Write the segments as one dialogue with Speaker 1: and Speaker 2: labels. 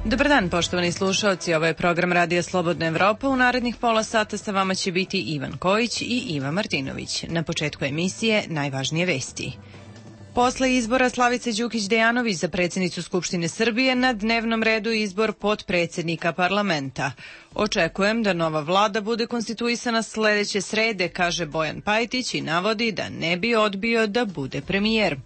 Speaker 1: Dobar dan, poštovani slušaoci, ovo je program Radija Slobodna Evropa. U narednih pola sata sa vama će biti Ivan Kojić i Iva Martinović. Na početku emisije najvažnije vesti. Posle izbora Slavice Đukić Dejanović za predsjednicu Skupštine Srbije na dnevnom redu izbor potpredsjednika parlamenta. Očekujem da nova vlada bude konstituisana sledeće srede, kaže Bojan Pajtić i navodi da ne bi odbio da bude premijer.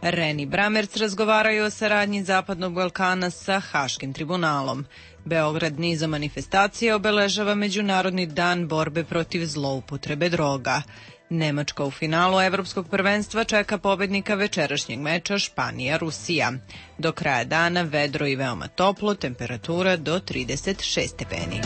Speaker 1: Ren i Bramerc razgovaraju o saradnji Zapadnog Balkana sa Haškim tribunalom. Beograd nizom manifestacija obeležava Međunarodni dan borbe protiv zloupotrebe droga. Nemačka u finalu Evropskog prvenstva čeka pobednika večerašnjeg meča Španija-Rusija. Do kraja dana vedro i veoma toplo, temperatura do 36 stepeni.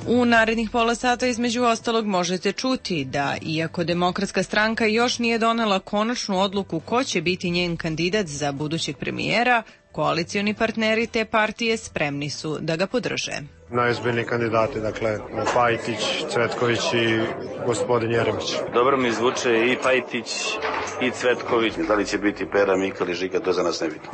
Speaker 1: U narednih pola sata između ostalog možete čuti da, iako Demokratska stranka još nije donela konačnu odluku ko će biti njen kandidat za budućeg premijera, koalicioni partneri te partije spremni su da ga podrže.
Speaker 2: Najozbiljniji kandidati, dakle, Pajtić, Cvetković i gospodin Jeremić.
Speaker 3: Dobro mi zvuče i Pajtić i Cvetković. Da li će biti Pera, Mika ili Žika, to za nas nebitno.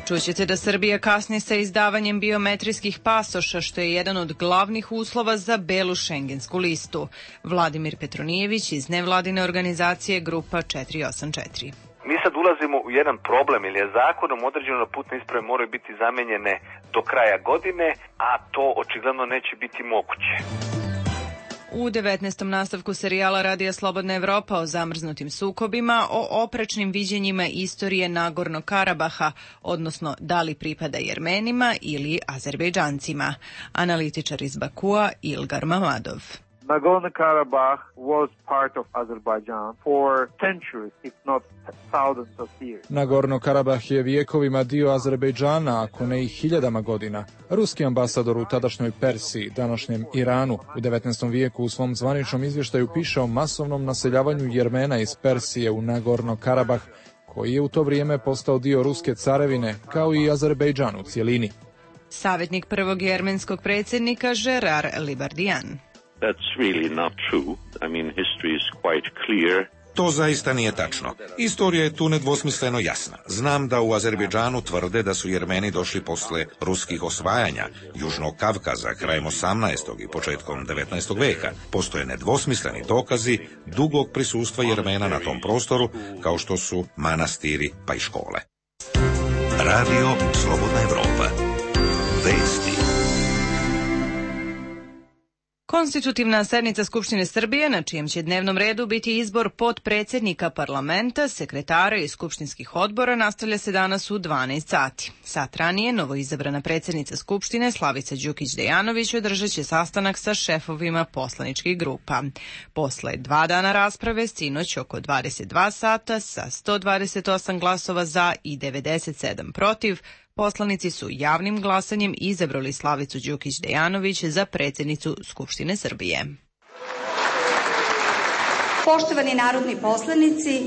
Speaker 1: Čućete da Srbija kasni sa izdavanjem biometrijskih pasoša, što je jedan od glavnih uslova za belu šengensku listu. Vladimir Petronijević iz nevladine organizacije Grupa 484.
Speaker 4: Mi sad ulazimo u jedan problem, jer je zakonom određeno da putne isprave moraju biti zamenjene do kraja godine, a to očigledno neće biti moguće.
Speaker 1: U 19. nastavku serijala Radija Slobodna Evropa o zamrznutim sukobima, o oprečnim viđenjima istorije Nagornog Karabaha, odnosno da li pripada Jermenima ili Azerbejdžancima. Analitičar iz Bakua Ilgar Mamadov.
Speaker 5: Nagorno-Karabakh was part of Azerbaijan for centuries, if not thousands of years.
Speaker 6: Nagorno-Karabakh je vijekovima dio Azerbejdžana, ako ne i hiljadama godina. Ruski ambasador u tadašnjoj Persiji, današnjem Iranu, u 19. vijeku u svom zvaničnom izvještaju piše o masovnom naseljavanju Jermena iz Persije u Nagorno-Karabakh, koji je u to vrijeme postao dio Ruske carevine, kao i Azerbejdžan u cijelini.
Speaker 1: Savjetnik prvog jermenskog predsjednika Gerard Libardian.
Speaker 7: That's really not true. I mean, history is quite clear.
Speaker 8: To zaista nije tačno. Istorija je tu nedvosmisleno jasna. Znam da u Azerbejdžanu tvrde da su Jermeni došli posle ruskih osvajanja Južnog Kavkaza krajem 18. i početkom 19. veka. Postoje nedvosmisleni dokazi dugog prisustva Jermena na tom prostoru, kao što su manastiri pa i škole. Radio Slobodna Evropa. Vesti.
Speaker 1: Konstitutivna sednica Skupštine Srbije, na čijem će dnevnom redu biti izbor potpredsjednika parlamenta, sekretara i skupštinskih odbora, nastavlja se danas u 12 sati. Sat ranije, novoizabrana predsjednica Skupštine Slavica Đukić Dejanović održat će sastanak sa šefovima poslaničkih grupa. Posle 2 dana rasprave, sinoć oko 22 sata, sa 128 glasova za i 97 protiv, poslanici su javnim glasanjem izabrali Slavicu Đukić Dejanović za predsjednicu Skupštine Srbije.
Speaker 9: Poštovani narodni poslanici,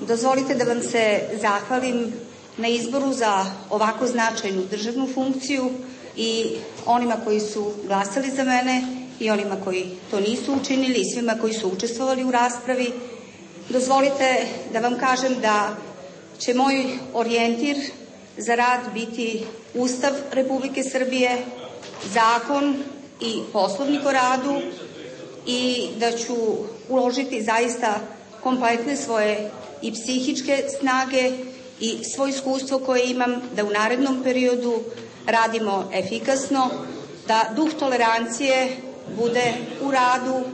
Speaker 9: dozvolite da vam se zahvalim na izboru za ovako značajnu državnu funkciju i onima koji su glasali za mene i onima koji to nisu učinili i svima koji su učestvovali u raspravi. Dozvolite da vam kažem da će moj orijentir za rad biti Ustav Republike Srbije, zakon i poslovnik o radu i da ću uložiti zaista kompletne svoje i psihičke snage i svoje iskustvo koje imam da u narednom periodu radimo efikasno, da duh tolerancije bude u radu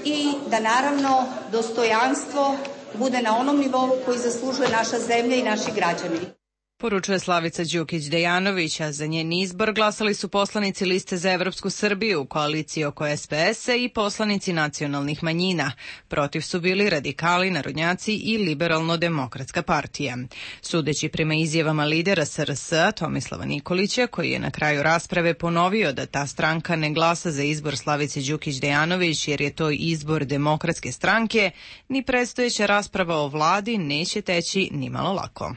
Speaker 9: i da naravno dostojanstvo bude na onom nivou koji zaslužuje naša zemlja i naši građani.
Speaker 1: Poručuje Slavica Đukić Dejanović, a za njen izbor glasali su poslanici Liste za Evropsku Srbiju, koaliciji oko SPS-a i poslanici nacionalnih manjina. Protiv su bili radikali, narodnjaci i Liberalno-demokratska partija. Sudeći prema izjavama lidera SRS-a Tomislava Nikolića, koji je na kraju rasprave ponovio da ta stranka ne glasa za izbor Slavice Đukić Dejanović jer je to izbor Demokratske stranke, ni predstojeća rasprava o vladi neće teći nimalo lako.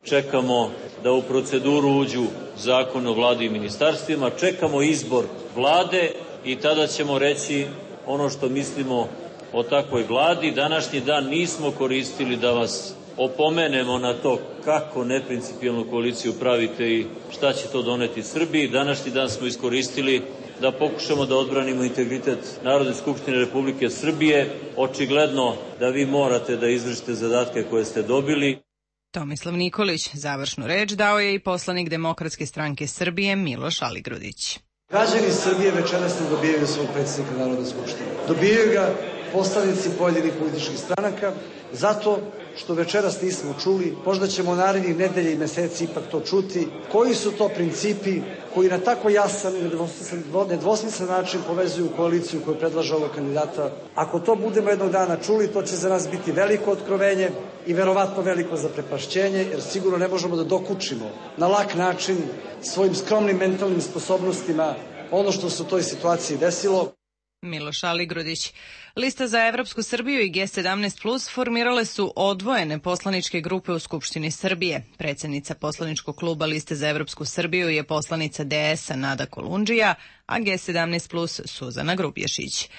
Speaker 10: Čekamo da u proceduru uđu zakon o vladi i ministarstvima, čekamo izbor vlade i tada ćemo reći ono što mislimo o takvoj vladi. Današnji dan nismo koristili da vas opomenemo na to kako neprincipijelnu koaliciju pravite i šta će to doneti Srbiji. Današnji dan smo iskoristili da pokušamo da odbranimo integritet Narodne skupštine Republike Srbije. Očigledno da vi morate da izvršite zadatke koje ste dobili.
Speaker 1: Tomislav Nikolić. Završnu reč dao je i poslanik Demokratske stranke Srbije Miloš Aligrudić.
Speaker 11: Građani Srbije večeras ne dobijaju svog predsjednika Narodne skupštine. Dobijaju ga poslanici pojedinih političkih stranaka zato što večeras nismo čuli, možda ćemo narednih nedelja i meseci ipak to čuti, koji su to principi koji na tako jasan i nedvosmislen način povezuju koaliciju koju predlaže ovog kandidata. Ako to budemo jednog dana čuli, to će za nas biti veliko otkrovenje i verovatno veliko zaprepašćenje, jer sigurno ne možemo da dokučimo na lak način svojim skromnim mentalnim sposobnostima ono što se u toj situaciji desilo.
Speaker 1: Miloš Aligrudić. Lista za Evropsku Srbiju i G17 formirale su odvojene poslaničke grupe u Skupštini Srbije. Predsjednica poslaničkog kluba Liste za Evropsku Srbiju je poslanica DS-a Nada Kolundžija, a G17 Suzana Grubješić.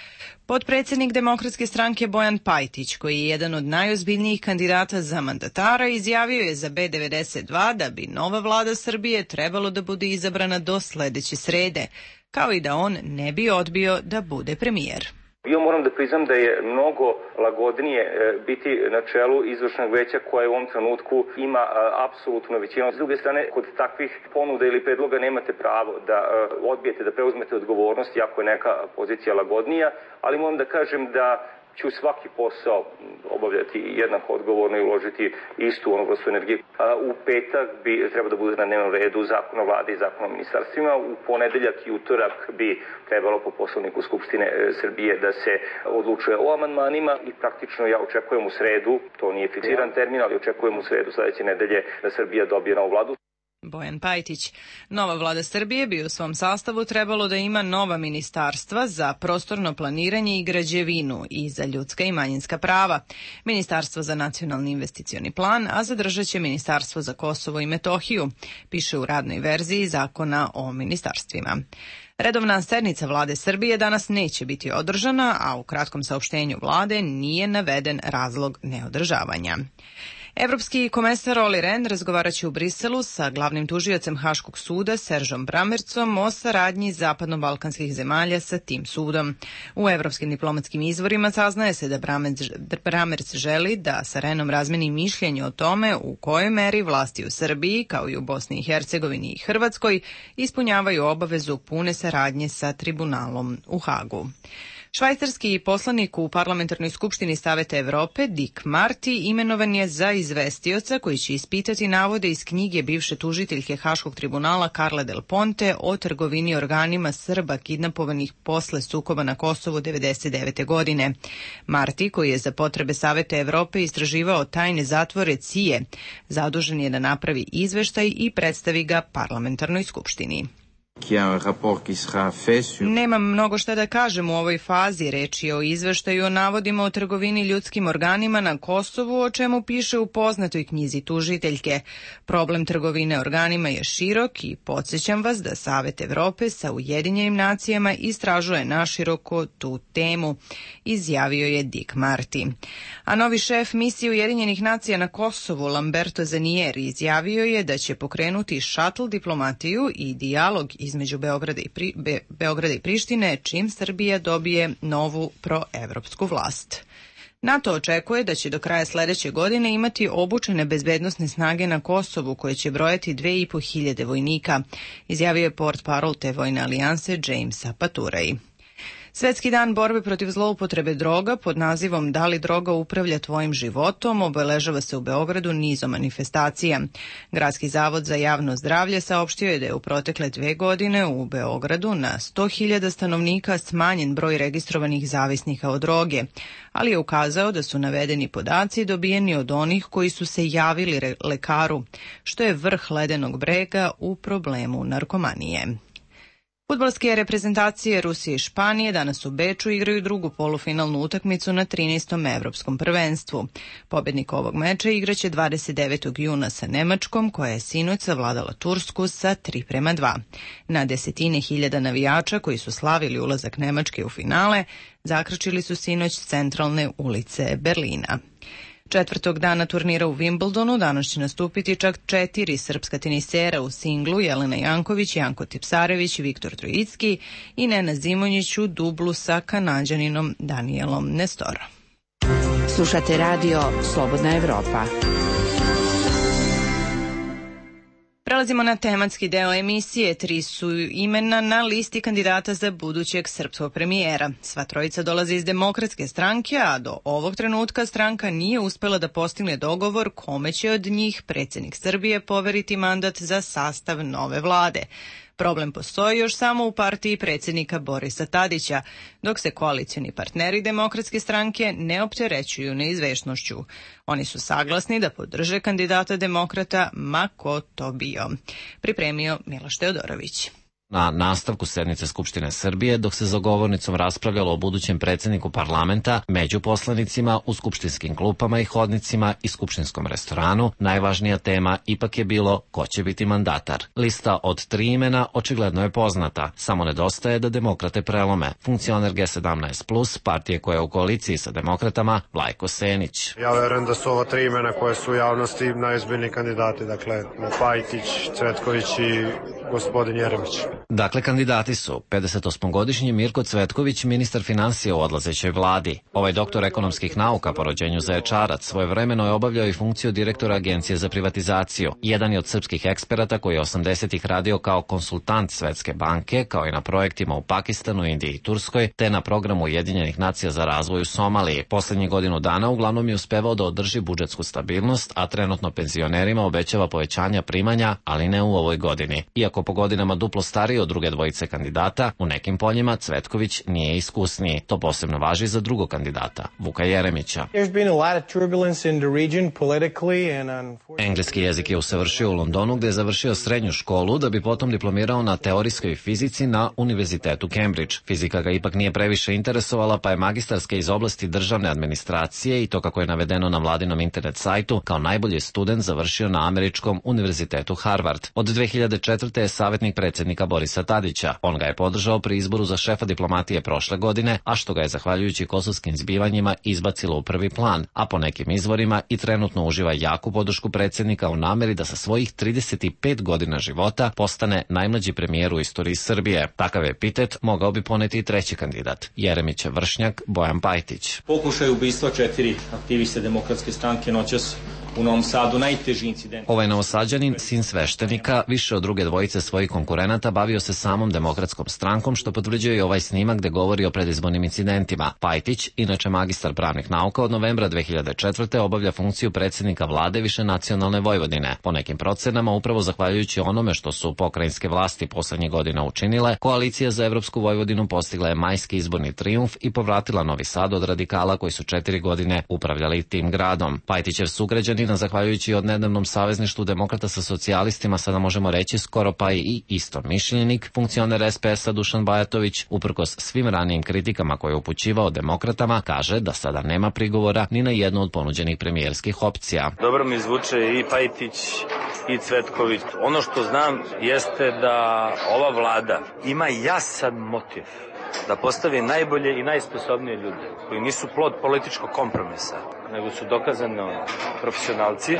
Speaker 1: Potpredsjednik Demokratske stranke Bojan Pajtić, koji je jedan od najozbiljnijih kandidata za mandatara, izjavio je za B92 da bi nova vlada Srbije trebalo da bude izabrana do sledeće srede, kao i da on ne bi odbio da bude premijer.
Speaker 12: Ja moram da priznam da je mnogo lagodnije biti na čelu izvršnog veća koje u ovom trenutku ima apsolutno većinu. S druge strane, kod takvih ponuda ili predloga nemate pravo da odbijete, da preuzmete odgovornost, iako je neka pozicija lagodnija, ali moram da kažem da ću svaki posao obavljati jednako odgovorno i uložiti istu onu vrstu energije. U petak bi treba da bude na dnevnom redu zakon o vladi i zakon o ministarstvima. U ponedeljak i utorak bi trebalo po poslovniku Skupštine Srbije da se odlučuje o amandmanima i praktično ja očekujem u sredu, to nije fiksiran termin, ali očekujem u sredu sledeće nedelje da Srbija dobije novu vladu.
Speaker 1: Bojan Pajtić. Nova vlada Srbije bi u svom sastavu trebalo da ima nova ministarstva za prostorno planiranje i građevinu i za ljudska i manjinska prava, Ministarstvo za nacionalni investicioni plan, a zadržat će Ministarstvo za Kosovo i Metohiju, piše u radnoj verziji zakona o ministarstvima. Redovna sednica vlade Srbije danas neće biti održana, a u kratkom saopštenju vlade nije naveden razlog neodržavanja. Evropski komesar Olli Rehn razgovaraće u Briselu sa glavnim tužiocem Haškog suda Seržom Brammercom o saradnji zapadno-balkanskih zemalja sa tim sudom. U evropskim diplomatskim izvorima saznaje se da Brammerc želi da sa Rehnom razmeni mišljenje o tome u kojoj meri vlasti u Srbiji, kao i u Bosni i Hercegovini i Hrvatskoj, ispunjavaju obavezu pune saradnje sa tribunalom u Hagu. Švajcarski poslanik u Parlamentarnoj skupštini Saveta Evrope, Dick Marty, imenovan je za izvestioca koji će ispitati navode iz knjige bivše tužiteljke Haškog tribunala Carla Del Ponte o trgovini organima Srba kidnapovanih posle sukoba na Kosovu 1999. godine. Marty, koji je za potrebe Saveta Evrope istraživao tajne zatvore CIA, zadužen je da napravi izveštaj i predstavi ga Parlamentarnoj skupštini. Nemam mnogo šta da kažem u ovoj fazi, reč je o izveštaju o navodima o trgovini ljudskim organima na Kosovu, o čemu piše u poznatoj knjizi tužiteljke. Problem trgovine organima je širok i podsjećam vas da Savet Evrope sa Ujedinjenim nacijama istražuje naširoko tu temu, izjavio je Dick Marty. A novi šef misije Ujedinjenih nacija na Kosovu, Lamberto Zanieri, izjavio je da će pokrenuti šatl diplomatiju i dijalog između Beograda i Prištine, čim Srbija dobije novu proevropsku vlast. NATO očekuje da će do kraja sledeće godine imati obučene bezbednosne snage na Kosovu koje će brojati 2500 vojnika, izjavio je portparol te vojne alijanse Jamesa Paturay. Svetski dan borbe protiv zloupotrebe droga pod nazivom Da li droga upravlja tvojim životom obeležava se u Beogradu nizom manifestacija. Gradski zavod za javno zdravlje saopštio je da je u protekle 2 godine u Beogradu na 100.000 stanovnika smanjen broj registrovanih zavisnika od droge, ali je ukazao da su navedeni podaci dobijeni od onih koji su se javili lekaru, što je vrh ledenog brega u problemu narkomanije. Fudbalske reprezentacije Rusije i Španije danas u Beču igraju drugu polufinalnu utakmicu na 13. evropskom prvenstvu. Pobednik ovog meča igraće 29. juna sa Nemačkom, koja je sinoć savladala Tursku sa 3:2. Na desetine hiljada navijača koji su slavili ulazak Nemačke u finale zakrčili su sinoć centralne ulice Berlina. Četvrtog dana turnira u Wimbledonu danas će nastupiti čak 4 srpska tenisera u singlu: Jelena Janković, Janko Tipsarević, Viktor Trojicki i Nena Zimonjić u dublu sa Kanađaninom Danielom Nestorom.
Speaker 13: Slušate radio Slobodna Evropa.
Speaker 1: Prelazimo na tematski deo emisije. 3 su imena na listi kandidata za budućeg srpskog premijera. Sva trojica dolaze iz Demokratske stranke, a do ovog trenutka stranka nije uspela da postigne dogovor kome će od njih predsjednik Srbije poveriti mandat za sastav nove vlade. Problem postoji još samo u partiji predsjednika Borisa Tadića, dok se koalicioni partneri Demokratske stranke ne opterećuju neizvesnošću. Oni su saglasni da podrže kandidata demokrata, ma ko to bio. Pripremio Miloš Teodorović.
Speaker 14: Na nastavku sednice Skupštine Srbije, dok se za govornicom raspravljalo o budućem predsjedniku parlamenta, među poslanicima, u skupštinskim klupama i hodnicima i skupštinskom restoranu, najvažnija tema ipak je bilo ko će biti mandatar. Lista od 3 imena očigledno je poznata, samo nedostaje da demokrate prelome. Funkcioner G17+, partije koja je u koaliciji sa demokratama, Vlajko Senić.
Speaker 2: Ja verujem da su ova 3 imena koje su u javnosti najozbiljniji kandidati, dakle Pajtić, Cvetković i gospodin Jeremić.
Speaker 14: Dakle, kandidati su 58-godišnji Mirko Cvetković, ministar finansija u odlazećoj vladi. Ovaj doktor ekonomskih nauka po rođenju Zaječarac svojevremeno je obavljao i funkciju direktora Agencije za privatizaciju. Jedan je od srpskih eksperata koji je 80-ih radio kao konsultant Svetske banke, kao i na projektima u Pakistanu, Indiji i Turskoj, te na programu Ujedinjenih nacija za razvoj u Somaliji. Poslednjih godinu dana uglavnom je uspevao da održi budžetsku stabilnost, a trenutno penzionerima obećava povećanja primanja, ali ne u ovoj godini. Iako po godinama duplo stariji od druge dvojice kandidata, u nekim poljima Cvetković nije iskusniji. To posebno važi za drugog kandidata, Vuka Jeremića. Engleski jezik je usavršio u Londonu, gde je završio srednju školu da bi potom diplomirao na teorijskoj fizici na Univerzitetu Cambridge. Fizika ga ipak nije previše interesovala, pa je magistarske iz oblasti državne administracije, i to kako je navedeno na vladinom internet sajtu, kao najbolji student završio na američkom Univerzitetu Harvard. Od 2004. je savjetnik predsjednika Borisa Tadića. On ga je podržao pri izboru za šefa diplomatije prošle godine, a što ga je zahvaljujući kosovskim zbivanjima izbacilo u prvi plan, a po nekim izvorima i trenutno uživa jaku podršku predsjednika u nameri da sa svojih 35 godina života postane najmlađi premijer u istoriji Srbije. Takav epitet mogao bi poneti i treći kandidat, Jeremićev vršnjak Bojan Pajtić.
Speaker 15: Pokušaj ubistva 4 aktiviste Demokratske stranke noćas u Novom Sadu, najteži incident.
Speaker 14: Ovaj novosađanin, sin sveštenika, više od druge dvojice svojih konkurenata bavio se samom Demokratskom strankom, što potvrđuje i ovaj snimak gde govori o predizbornim incidentima. Pajtić, inače magistar pravnih nauka, od novembra 2004. obavlja funkciju predsjednika vlade višenacionalne Vojvodine. Po nekim procenama, upravo zahvaljujući onome što su pokrajinske vlasti poslednjih godina učinile, koalicija za Evropsku Vojvodinu postigla je majski izborni trijumf i povratila Novi Sad od radikala koji su 4 godine upravljali tim gradom. Pajtićev sugrađanin, zahvaljujući odnedavnom savezništvu demokrata sa socijalistima, sada možemo reći skoro pa i istomišljenik, funkcioner SPS-a Dušan Bajatović, uprkos svim ranijim kritikama koje je upućivao demokratama, kaže da sada nema prigovora ni na jednu od ponuđenih premijerskih opcija.
Speaker 3: Dobro mi zvuče i Pajtić i Cvetković. Ono što znam jeste da ova vlada ima jasan motiv da postavi najbolje i najsposobnije ljude koji nisu plod političkog kompromisa, nego su dokazano profesionalci.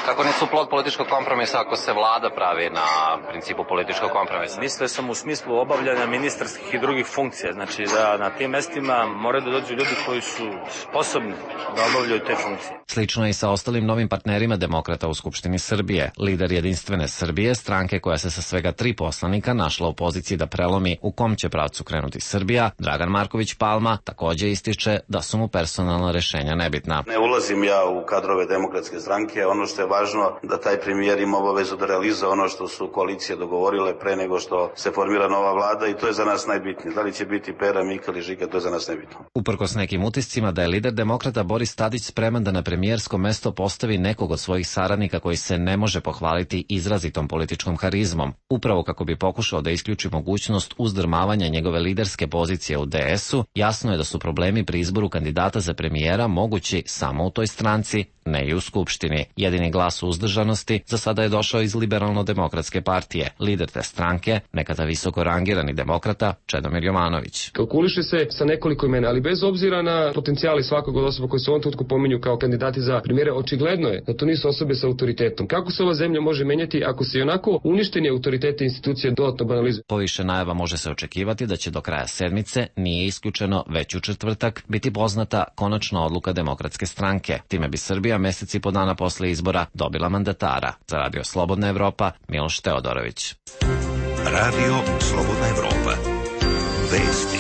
Speaker 14: Kako nisu plod političkog kompromisa ako se vlada pravi na principu političkog kompromisa?
Speaker 3: Mislio sam u smislu obavljanja ministarskih i drugih funkcija. Znači da na tim mestima moraju da dođu ljudi koji su sposobni da obavljaju te funkcije.
Speaker 14: Slično je i sa ostalim novim partnerima demokrata u Skupštini Srbije. Lider Jedinstvene Srbije, stranke koja se sa svega 3 poslanika našla u poziciji da prelomi u kom će pravcu krenuti Srbija, Dragan Marković Palma, takođe ističe da su mu personalna rešenja nebitna.
Speaker 3: Ne ulazim ja u kadrove Demokratske stranke, ono što je važno da taj premijer ima obavezu da realizuje ono što su koalicije dogovorile pre nego što se formira nova vlada, i to je za nas najbitnije. Da li će biti Pera, Mika ili Žika, to je za nas nebitno.
Speaker 14: Uprkos nekim utiscima da je lider demokrata Boris Tadić spreman da na premijersko mesto postavi nekog od svojih saradnika koji se ne može pohvaliti izrazitom političkom harizmom, upravo kako bi pokušao da isključi mogućnost uzdrmavanja njegove liderske pozicije u DS-u, jasno je da su problemi pri izboru kandidata za premijera mogući samo u toj stranci ne i u Skupštini. Jedini glas uzdržanosti za sada je došao iz Liberalno-demokratske partije. Lider te stranke, nekada visoko rangirani demokrata, Čedomir Jovanović.
Speaker 16: Kalkuliše se sa nekoliko imena, ali bez obzira na potencijali svakog od osoba koji se u ovom trenutku pominju kao kandidati za premijere, očigledno je da to nisu osobe sa autoritetom. Kako se ova zemlja može menjati ako se onako uništeni autoritete institucije dodatno banalizuju?
Speaker 14: Po više najava može se očekivati da će do kraja sedmice, nije isključeno već u četvrtak, biti poznata konačna odluka Demokratske stranke. Time bi Srbija meseci po dana posle izbora dobila mandatara. Za Radio Slobodna Evropa, Miloš Teodorović.
Speaker 8: Radio Slobodna Evropa. Vesti.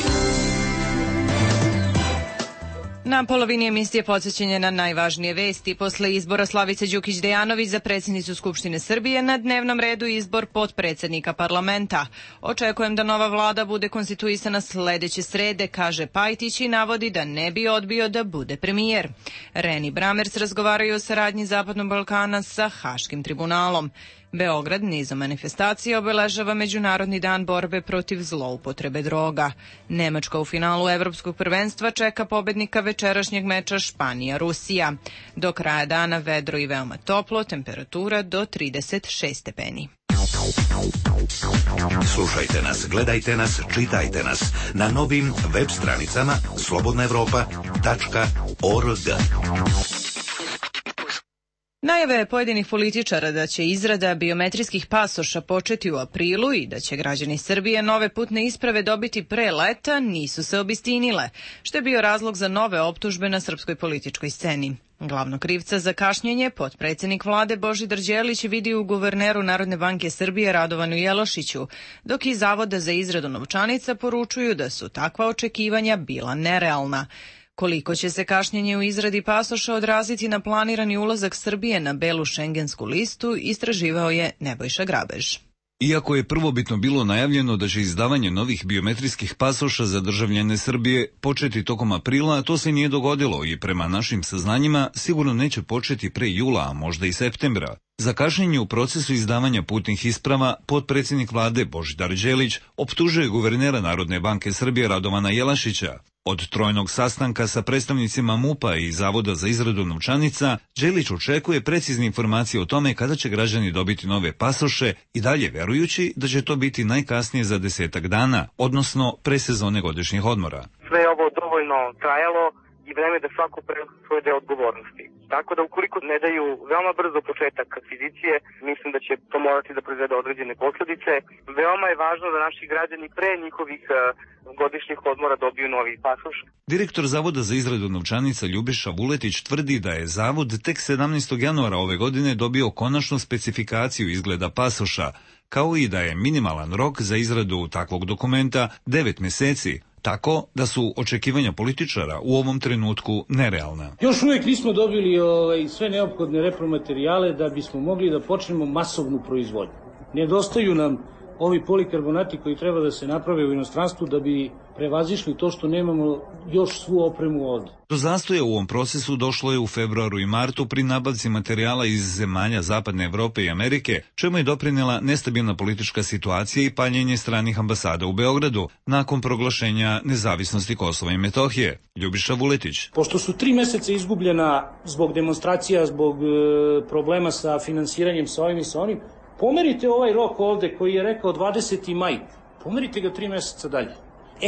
Speaker 1: Na polovini emisije podsjećanje na najvažnije vesti. Posle izbora Slavice Đukić Dejanović za predsjednicu Skupštine Srbije na dnevnom redu izbor potpredsjednika parlamenta. Očekujem da nova vlada bude konstituisana sledeće srede, kaže Pajtić i navodi da ne bi odbio da bude premijer. Ren i Bramers razgovaraju o saradnji Zapadnog Balkana sa Haškim tribunalom. Beograd nizom manifestacija obeležava Međunarodni dan borbe protiv zloupotrebe droga. Nemačka u finalu Evropskog prvenstva čeka pobednika večerašnjeg meča Španija-Rusija. Do kraja dana vedro i veoma toplo, temperatura do 36 stepeni.
Speaker 8: Slušajte nas, gledajte nas, čitajte nas na novim web stranicama slobodnaevropa.org.
Speaker 1: Najave pojedinih političara da će izrada biometrijskih pasoša početi u aprilu i da će građani Srbije nove putne isprave dobiti pre leta nisu se obistinile, što je bio razlog za nove optužbe na srpskoj političkoj sceni. Glavnog krivca za kašnjenje potpredsjednik vlade Božidar Đelić vidi u guverneru Narodne banke Srbije Radovanu Jelošiću, dok iz Zavoda za izradu novčanica poručuju da su takva očekivanja bila nerealna. Koliko će se kašnjenje u izradi pasoša odraziti na planirani ulazak Srbije na belu šengensku listu, istraživao je Nebojša Grabež.
Speaker 17: Iako je prvobitno bilo najavljeno da će izdavanje novih biometrijskih pasoša za državljane Srbije početi tokom aprila, to se nije dogodilo i prema našim saznanjima sigurno neće početi pre jula, a možda i septembra. Za kašnjenje u procesu izdavanja putnih isprava, potpredsjednik vlade Božidar Đelić optužuje guvernera Narodne banke Srbije Radovana Jelašića. Od trojnog sastanka sa predstavnicima MUP-a i Zavoda za izradu novčanica, Đelić očekuje precizne informacije o tome kada će građani dobiti nove pasoše i dalje verujući da će to biti najkasnije za 10 dana, odnosno pre sezone godišnjih odmora.
Speaker 18: Sve je ovo dovoljno trajalo i vreme da svako preuzme svoj deo odgovornosti. Tako da ukoliko ne daju veoma brzo početak akvizicije, mislim da će to morati da proizvede određene posledice. Veoma je važno da naši građani pre njihovih godišnjih odmora dobiju novi pasoš.
Speaker 17: Direktor Zavoda za izradu novčanica Ljubiša Vuletić tvrdi da je Zavod tek 17. januara ove godine dobio konačnu specifikaciju izgleda pasoša, kao i da je minimalan rok za izradu takvog dokumenta 9 meseci, tako da su očekivanja političara u ovom trenutku nerealna.
Speaker 19: Još uvijek nismo dobili sve neophodne repromaterijale da bismo mogli da počnemo masovnu proizvodnju. Nedostaju nam ovi polikarbonati koji treba da se naprave u inostranstvu da bi prevazišli to što nemamo još svu opremu ovde.
Speaker 17: Do zastoja u ovom procesu došlo je u februaru i martu pri nabavci materijala iz zemalja Zapadne Evrope i Amerike, čemu je doprinela nestabilna politička situacija i paljenje stranih ambasada u Beogradu nakon proglašenja nezavisnosti Kosova i Metohije. Ljubiša Vuletić.
Speaker 19: Pošto su 3 meseca izgubljena zbog demonstracija, zbog problema sa finansiranjem sa ovim i sa onim, pomerite ovaj rok ovde koji je rekao 20. maj, pomerite ga 3 meseca dalje.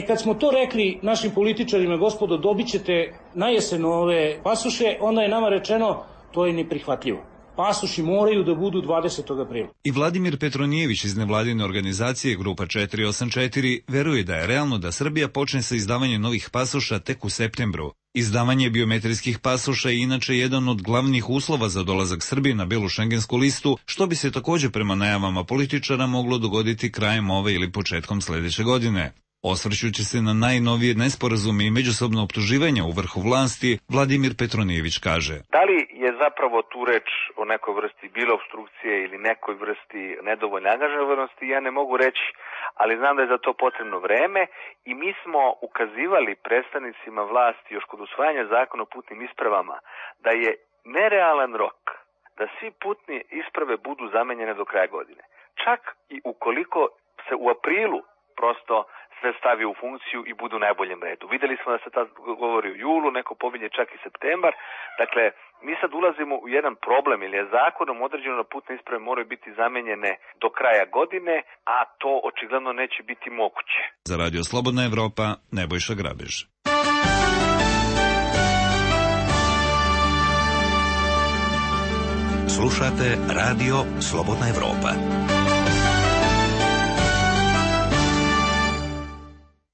Speaker 19: Kad smo to rekli našim političarima, gospodo, dobit ćete na jesen ove pasoše, onda je nama rečeno to je neprihvatljivo. Pasoši moraju da budu 20. aprila.
Speaker 17: I Vladimir Petronijević iz nevladine organizacije Grupa 484 veruje da je realno da Srbija počne sa izdavanjem novih pasoša tek u septembru. Izdavanje biometrijskih pasoša je inače jedan od glavnih uslova za dolazak Srbije na belu šengensku listu, što bi se također prema najavama političara moglo dogoditi krajem ove ili početkom sledeće godine. Osvrćući se na najnovije nesporazume i međusobno optuživanja u vrhu vlasti, Vladimir Petronijević kaže:
Speaker 4: Da li je zapravo tu reč o nekoj vrsti bilo obstrukcije ili nekoj vrsti nedovoljne angažovanosti, ja ne mogu reći, ali znam da je za to potrebno vreme i mi smo ukazivali predstavnicima vlasti još kod usvajanja zakona o putnim ispravama da je nerealan rok da svi putne isprave budu zamenjene do kraja godine. Čak i ukoliko se u aprilu prosto sve stavi u funkciju i budu u najboljem redu. Videli smo da se tad govori o julu, neko pominje čak i septembar. Dakle, Mi sad ulazimo u jedan problem, jer je zakonom određeno da putne isprave moraju biti zamenjene do kraja godine, a to očigledno neće biti moguće.
Speaker 17: Za Radio Slobodna Evropa, Nebojša Grabež.
Speaker 8: Slušate Radio Slobodna Evropa.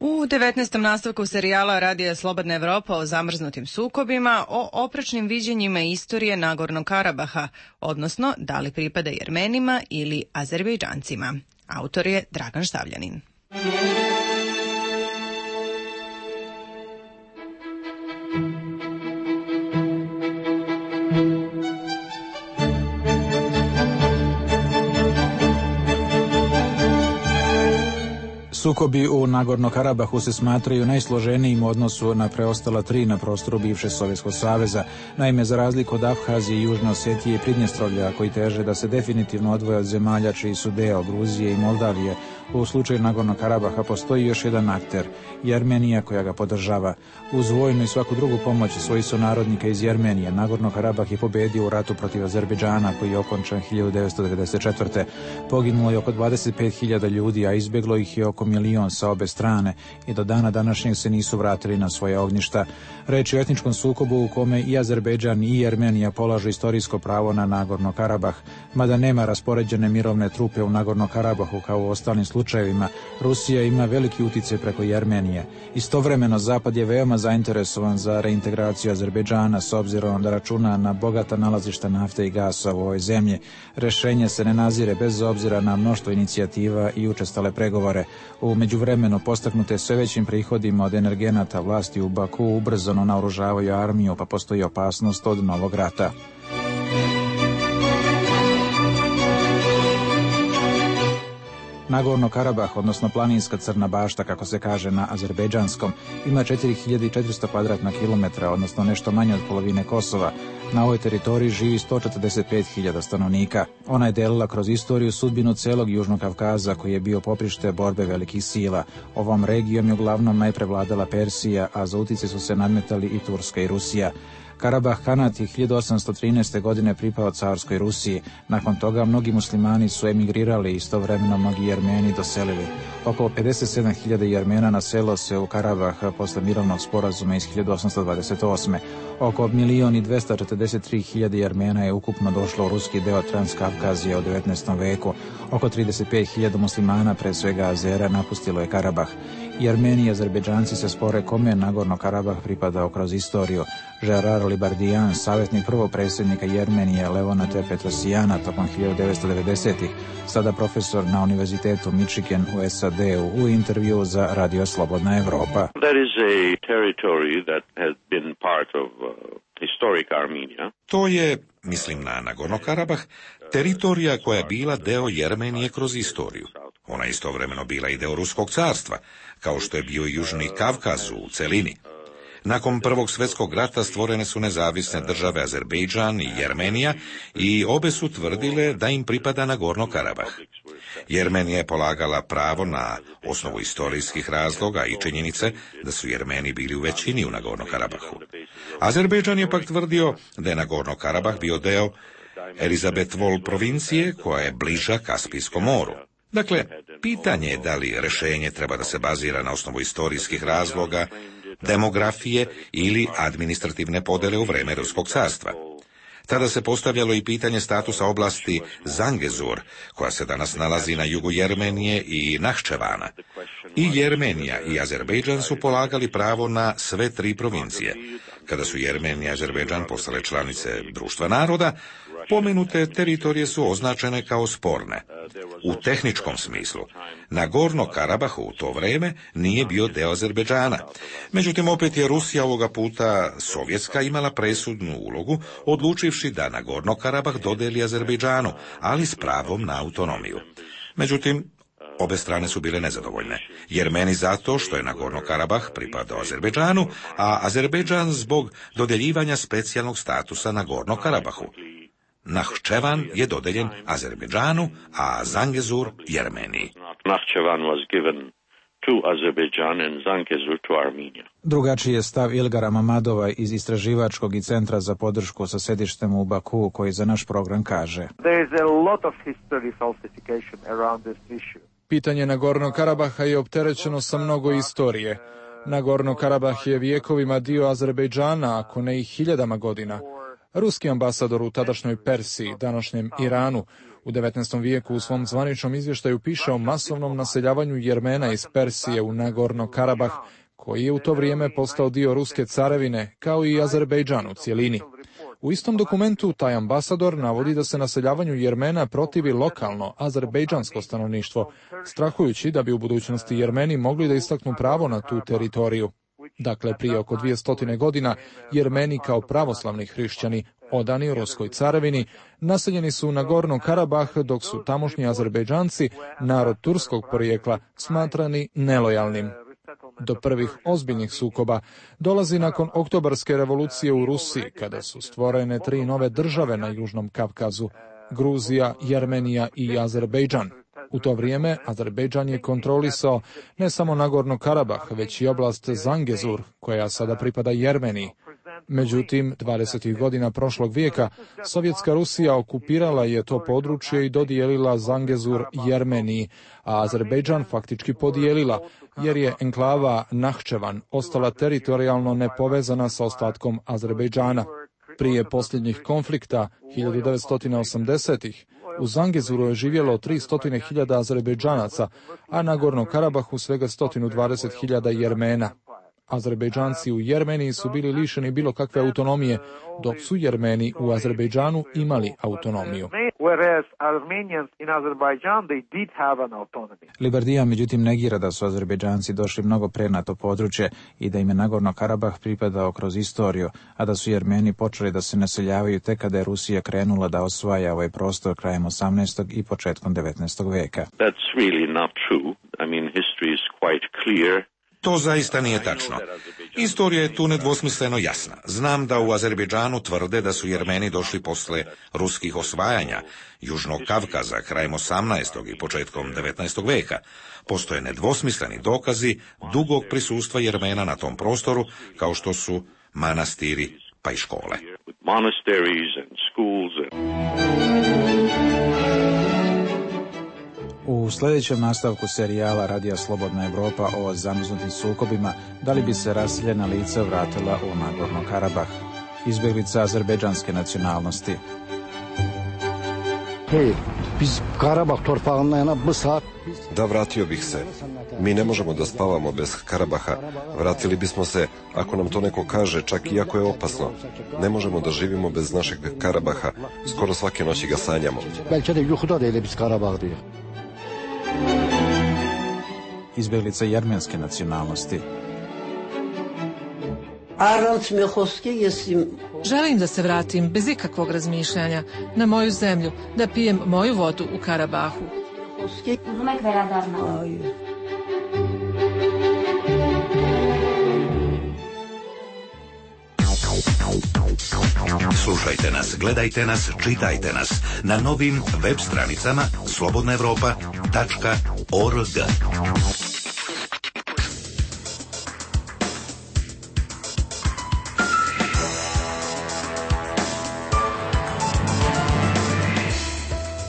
Speaker 1: U 19. nastavku serijala Radija Slobodna Evropa o zamrznutim sukobima, o oprečnim viđenjima istorije Nagornog Karabaha, odnosno da li pripada Jermenima ili Azerbejdžancima. Autor je Dragan Štavljanin.
Speaker 20: Sukobi u Nagorno-Karabahu se smatraju najsloženijim u odnosu na preostala 3 na prostoru bivše Sovjetskog saveza. Naime, za razliku od Abhazije i Južne Osetije i Pridnjestrovlja, koji teže da se definitivno odvoje od zemalja čiji su deo Gruzije i Moldavije, u slučaju Nagorno-Karabaha postoji još jedan akter, Jermenija, koja ga podržava. Uz vojnu i svaku drugu pomoć svojih sunarodnika iz Jermenije, Nagorno-Karabah je pobedio u ratu protiv Azerbejdžana, koji je okončan 1994. Poginulo je oko 25.000 ljudi, a izbjeglo ih je oko 1 milion sa obe strane i do dana današnjeg se nisu vratili na svoje ognjišta. Reč je o etničkom sukobu u kome i Azerbejdžan i Jermenija polažu istorijsko pravo na Nagorno-Karabah. Mada nema raspoređene mirovne trupe u Nagorno-Karabahu kao u ostalim slučajevima, Rusija ima veliki uticaj preko Jermenije. Istovremeno, Zapad je veoma zainteresovan za reintegraciju Azerbejdžana s obzirom da računa na bogata nalazišta nafte i gasa u ovoj zemlji. Rešenje se ne nazire bez obzira na mnoštvo inicijativa i učestale pregovore. U međuvremenu, postaknute sve većim prihodima od energenata, vlasti u Baku ubrzano naoružavaju armiju, pa postoji opasnost od novog rata. Nagorno-Karabah, odnosno planinska Crna bašta, kako se kaže na azerbejdžanskom, ima 4400 kvadratna kilometra, odnosno nešto manje od polovine Kosova. Na ovoj teritoriji živi 145.000 stanovnika. Ona je delila kroz istoriju sudbinu celog Južnog Kavkaza, koji je bio poprište borbe velikih sila. Ovom regijom je uglavnom najprevladala Persija, a za utjecaj su se nadmetali i Turska i Rusija. Karabah Kanat je 1813. godine pripao carskoj Rusiji. Nakon toga mnogi muslimani su emigrirali i istovremeno mnogi Jermeni doselili. Oko 57.000 Jermena naselilo se u Karabah posle mirovnog sporazuma iz 1828. Oko 1.243.000 Jermena je ukupno došlo u ruski deo Transkavkazije u 19. veku. Oko 35.000 muslimana, pre svega Azera, napustilo je Karabah. Jermeni i Azerbejdžanci se spore kome Nagorno-Karabah pripadao kroz istoriju. Gerard Libardijan, savjetnik prvog predsjednika Jermenije Levona T. Petrosijana tokom 1990-ih, sada profesor na Univerzitetu Michigan u SAD-u, u intervju za Radio Slobodna Evropa.
Speaker 7: There is a territory that has been part of historic Armenia.
Speaker 8: To je, mislim na Nagorno-Karabah, teritorija koja je bila deo Jermenije kroz istoriju. Ona je istovremeno bila i deo Ruskog carstva, kao što je bio i Južni Kavkaz u celini. Nakon Prvog svjetskog rata stvorene su nezavisne države Azerbejdžan i Jermenija i obe su tvrdile da im pripada Nagorno-Karabah. Jermenija je polagala pravo na osnovu istorijskih razloga i činjenice da su Jermeni bili u većini u Nagorno-Karabahu. Azerbejdžan je pak tvrdio da je Nagorno-Karabah bio deo Elizabethvol provincije koja je bliža Kaspijskom moru. Dakle, pitanje je da li rješenje treba da se bazira na osnovu istorijskih razloga, demografije ili administrativne podele u vreme Ruskog carstva. Tada se postavljalo i pitanje statusa oblasti Zangezur, koja se danas nalazi na jugu Jermenije i Nahčevana. I Jermenija i Azerbejdžan su polagali pravo na sve 3 provincije. Kada su Jermenija i Azerbejdžan postale članice Društva naroda, pomenute teritorije su označene kao sporne. U tehničkom smislu, Nagorno-Karabah u to vreme nije bio deo Azerbejdžana. Međutim, opet je Rusija ovoga puta sovjetska imala presudnu ulogu, odlučivši da Nagorno-Karabah dodeli Azerbejdžanu, ali s pravom na autonomiju. Međutim, obe strane su bile nezadovoljne. Jermeni zato što je Nagorno-Karabah pripadao Azerbejdžanu, a Azerbejdžan zbog dodeljivanja specijalnog statusa Nagorno-Karabahu. Nahčevan je dodeljen Azerbejdžanu, a Zangezur Jermeniji.
Speaker 7: Nahčevan was given to Azerbaijan and Zangezur to Armenia.
Speaker 20: Drugačiji je stav Ilgara Mamadova iz Istraživačkog i centra za podršku sa sedištem u Baku, koji za naš program kaže:
Speaker 6: Pitanje Nagornog Karabaha je opterećeno sa mnogo istorije. Nagorno Karabah je vijekovima dio Azerbejdžana, ako ne i hiljadama godina. Ruski ambasador u tadašnjoj Persiji, današnjem Iranu, u 19. vijeku u svom zvaničnom izvještaju piše o masovnom naseljavanju Jermena iz Persije u Nagorno Karabah, koji je u to vrijeme postao dio Ruske carevine, kao i Azerbejdžan u cijelini. U istom dokumentu taj ambasador navodi da se naseljavanju Jermena protivi lokalno azerbejdžansko stanovništvo, strahujući da bi u budućnosti Jermeni mogli da istaknu pravo na tu teritoriju. Dakle, prije oko 200 godina Jermeni kao pravoslavni hrišćani, odani Ruskoj carevini, naseljeni su u Nagorno Karabah, dok su tamošnji Azerbejdžanci, narod turskog porijekla, smatrani nelojalnim. Do prvih ozbiljnih sukoba dolazi nakon Oktobarske revolucije u Rusiji, kada su stvorene 3 nove države na Južnom Kavkazu: Gruzija, Jermenija i Azerbejdžan. U to vrijeme Azerbejdžan je kontrolisao ne samo Nagorno Karabah, već i oblast Zangezur, koja sada pripada Jermeniji. Međutim, 20. godina prošlog vijeka Sovjetska Rusija okupirala je to područje i dodijelila Zangezur Jermeniji, a Azerbejdžan faktički podijelila, jer je enklava Nahčevan ostala teritorijalno nepovezana sa ostatkom Azerbejdžana. Prije posljednjih konflikta, 1980-ih, u Zangezuru je živjelo 300.000 Azerbejdžanaca, a na Gornom Karabahu svega 120.000 Jermena. Azerbejdžanci u Jermeniji su bili lišeni bilo kakve autonomije, dok su Jermeni u Azerbejdžanu imali autonomiju.
Speaker 20: Liberdija međutim negira da su Azerbejdžanci došli mnogo pre na to područje i da im je Nagorno Karabah pripadao kroz istoriju, a da su Jermeni počeli da se naseljavaju tek kada je Rusija krenula da osvaja ovaj prostor krajem 18. i početkom 19. veka.
Speaker 7: That's really not true. I mean, history is quite clear.
Speaker 8: To zaista nije tačno. Istorija je tu nedvosmisleno jasna. Znam da u Azerbejdžanu tvrde da su Jermeni došli posle ruskih osvajanja Južnog Kavkaza krajem 18. i početkom 19. veka. Postoje nedvosmisleni dokazi dugog prisustva Jermena na tom prostoru, kao što su manastiri pa i škole.
Speaker 20: U sljedećem nastavku serijala Radija Slobodna Evropa o zamrznutim sukobima, da li bi se raseljena lica vratila u Nagorno Karabah? Izbjeglica azerbejdžanske nacionalnosti.
Speaker 21: Da, vratio bih se. Mi ne možemo da spavamo bez Karabaha. Vratili bismo se, ako nam to neko kaže, čak i ako je opasno. Ne možemo da živimo bez našeg Karabaha. Skoro svake noći ga sanjamo.
Speaker 20: Izbjeglica jermenske nacionalnosti.
Speaker 22: Želim da se vratim bez ikakvog razmišljanja na moju zemlju, da pijem moju vodu u Karabahu.
Speaker 8: Slušajte nas, gledajte nas, čitajte nas na novim web stranicama slobodnaevropa.org.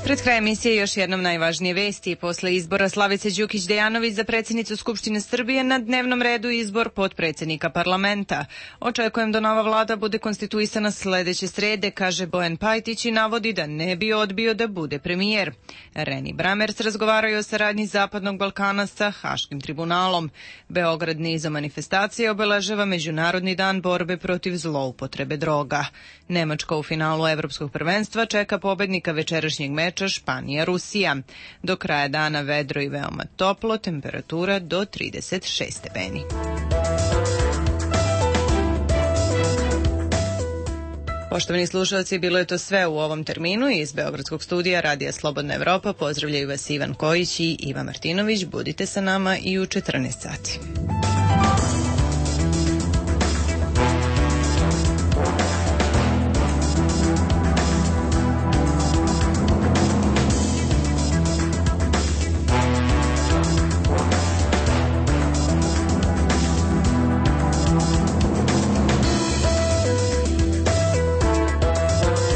Speaker 1: Pred krajem emisije još jednom najvažnije vesti. Posle izbora Slavice Đukić-Dejanović za predsjednicu Skupštine Srbije na dnevnom redu izbor potpredsjednika parlamenta. Očekujem da nova vlada bude konstituisana sljedeće srede, kaže Bojan Pajtić i navodi da ne bi odbio da bude premijer. Reni Bramers razgovaraju o saradnji Zapadnog Balkana sa Haškim tribunalom. Beograd nizom manifestacije obeležava Međunarodni dan borbe protiv zloupotrebe droga. Nemačka u finalu Evropskog prvenstva čeka pobednika večerašnjeg meča Španija-Rusija. Do kraja dana vedro i veoma toplo, temperatura do 36 stepeni. Poštovani slušalci, bilo je to sve u ovom terminu. Iz Beogradskog studija Radija Slobodna Evropa pozdravljaju vas Ivan Kojić i Iva Martinović. Budite sa nama i u 14 sati.